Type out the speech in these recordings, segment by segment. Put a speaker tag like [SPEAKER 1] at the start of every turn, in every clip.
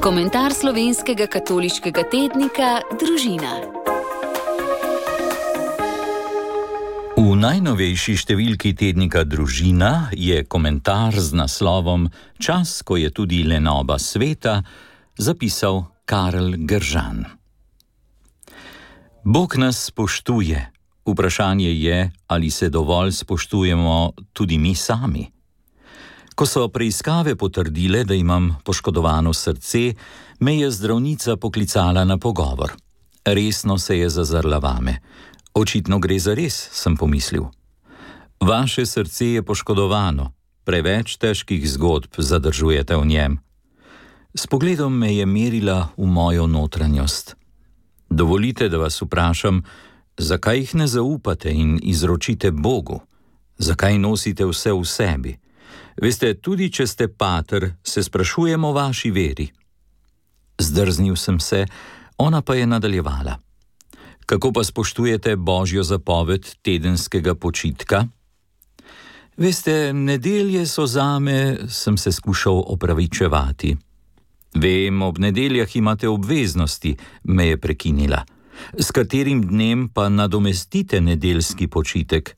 [SPEAKER 1] Komentar slovenskega katoliškega tednika Družina.
[SPEAKER 2] V najnovejši številki tednika Družina je komentar z naslovom Čas, ko je tudi lenoba sveta, zapisal Karel Gržan. Bog nas spoštuje. Vprašanje je, ali se dovolj spoštujemo tudi mi sami. Ko so preiskave potrdile, da imam poškodovano srce, me je zdravnica poklicala na pogovor. Resno se je zazrla vame. Očitno gre za res, sem pomislil. Vaše srce je poškodovano, preveč težkih zgodb zadržujete v njem. S pogledom me je merila v mojo notranjost. Dovolite, da vas vprašam, zakaj jih ne zaupate in izročite Bogu? Zakaj nosite vse v sebi? Veste, tudi če ste pater, se sprašujemo o vaši veri. Zdrznil sem se, ona pa je nadaljevala. Kako pa spoštujete Božjo zapoved tedenskega počitka? Veste, nedelje so zame, sem se skušal opravičevati. Vem, ob nedeljah imate obveznosti, me je prekinila. S katerim dnem pa nadomestite nedeljski počitek?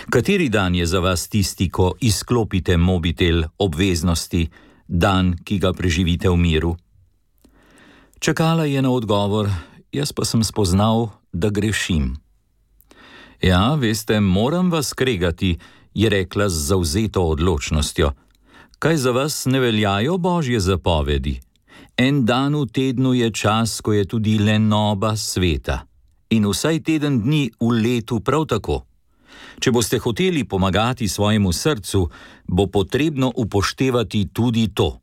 [SPEAKER 2] Kateri dan je za vas tisti, ko izklopite mobitel obveznosti, dan, ki ga preživite v miru? Čakala je na odgovor, jaz pa sem spoznal, da grešim. Ja, veste, moram vas kregati, je rekla z zavzeto odločnostjo. Kaj za vas ne veljajo Božje zapovedi? En dan v tednu je čas, ko je tudi lenoba sveta. In vsaj teden dni v letu prav tako. Če boste hoteli pomagati svojemu srcu, bo potrebno upoštevati tudi to.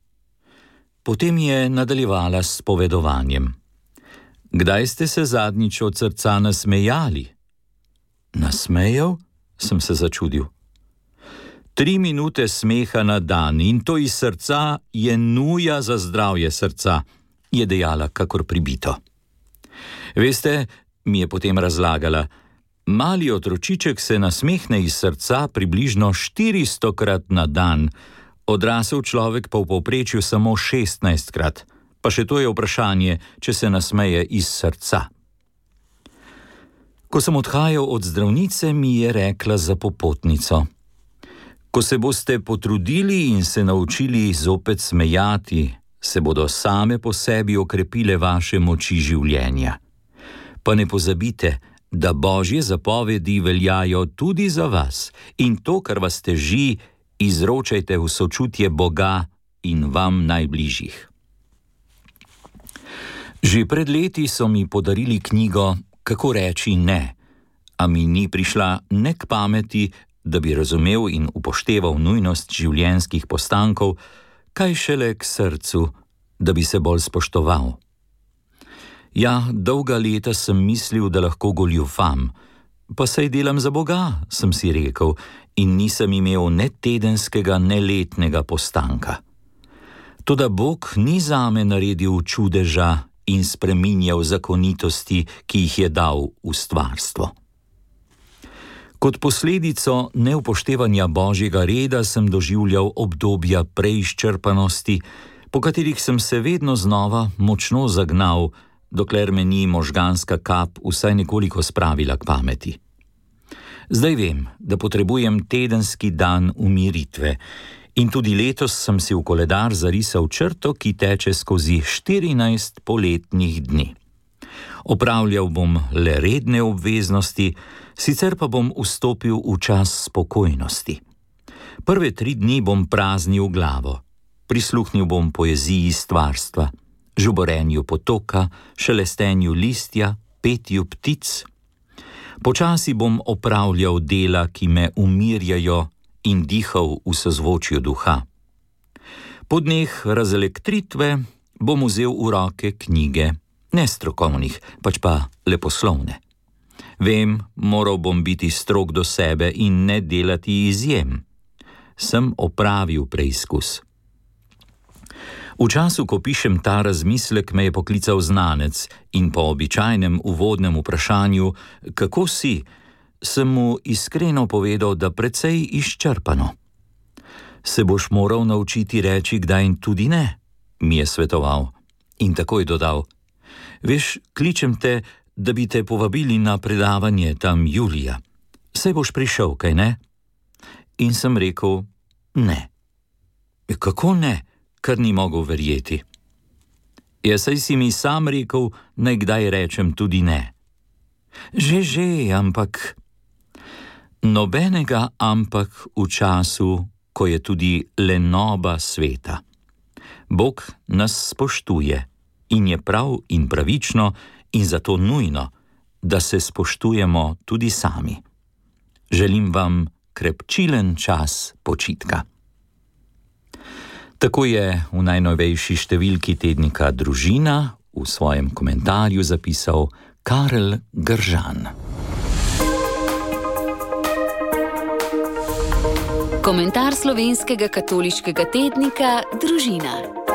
[SPEAKER 2] Potem je nadaljevala s povedovanjem. Kdaj ste se zadnjič od srca nasmejali? Nasmejal? Sem se začudil. 3 minute smeha na dan in to iz srca je nuja za zdravje srca, je dejala kakor pribito. Veste, mi je potem razlagala, mali otročiček se nasmehne iz srca približno 400-krat na dan, odrasel človek pa v povprečju samo 16-krat, pa še to je vprašanje, če se nasmeje iz srca. Ko sem odhajal od zdravnice, mi je rekla za popotnico. Ko se boste potrudili in se naučili zopet smejati, se bodo same po sebi okrepile vaše moči življenja. Pa ne pozabite, da Božje zapovedi veljajo tudi za vas in to, kar vas teži, izročajte v sočutje Boga in vam najbližjih. Že pred leti so mi podarili knjigo Kako reči ne, a mi ni prišla ne k pameti, da bi razumel in upošteval nujnost življenjskih postankov, kaj šele k srcu, da bi se bolj spoštoval. Ja, dolga leta sem mislil, da lahko goljufam, pa saj delam za Boga, sem si rekel, in nisem imel ne tedenskega, ne letnega postanka. Toda Bog ni zame naredil čudeža in spreminjal zakonitosti, ki jih je dal v stvarstvo. Kot posledico neupoštevanja Božjega reda sem doživljal obdobja preizčrpanosti, po katerih sem se vedno znova močno zagnal, dokler me ni možganska kap vsaj nekoliko spravila k pameti. Zdaj vem, da potrebujem tedenski dan umiritve in tudi letos sem si v koledar zarisal črto, ki teče skozi 14 poletnih dni. Opravljal bom le redne obveznosti, sicer pa bom vstopil v čas spokojnosti. Prve 3 dni bom praznil glavo, prisluhnil bom poeziji stvarstva, žuborenju potoka, šelestenju listja, petju ptic. Počasi bom opravljal dela, ki me umirjajo in dihal v sozvočju duha. Po dneh razelektritve bom vzel v roke knjige, ne strokovnih, pač pa leposlovne. Vem, moral bom biti strog do sebe in ne delati izjem. Sem opravil preizkus. V času, ko pišem ta razmislek, me je poklical znanec in po običajnem uvodnem vprašanju, kako si, sem mu iskreno povedal, da precej izčrpano. Se boš moral naučiti reči kdaj in tudi ne, mi je svetoval. In takoj dodal: Veš, kličem te, da bi te povabili na predavanje tam julija. Saj boš prišel, kaj ne? In sem rekel: Ne. Kako ne? Kar ni mogel verjeti. Ja, saj si mi sam rekel, naj kdaj rečem tudi ne. Že, ampak... Nobenega ampak v času, ko je tudi lenoba sveta. Bog nas spoštuje in je prav in pravično in zato nujno, da se spoštujemo tudi sami. Želim vam krepčilen čas počitka. Tako je v najnovejši številki tednika Družina v svojem komentarju zapisal Karel Gržan.
[SPEAKER 1] Komentar slovenskega katoliškega tednika Družina.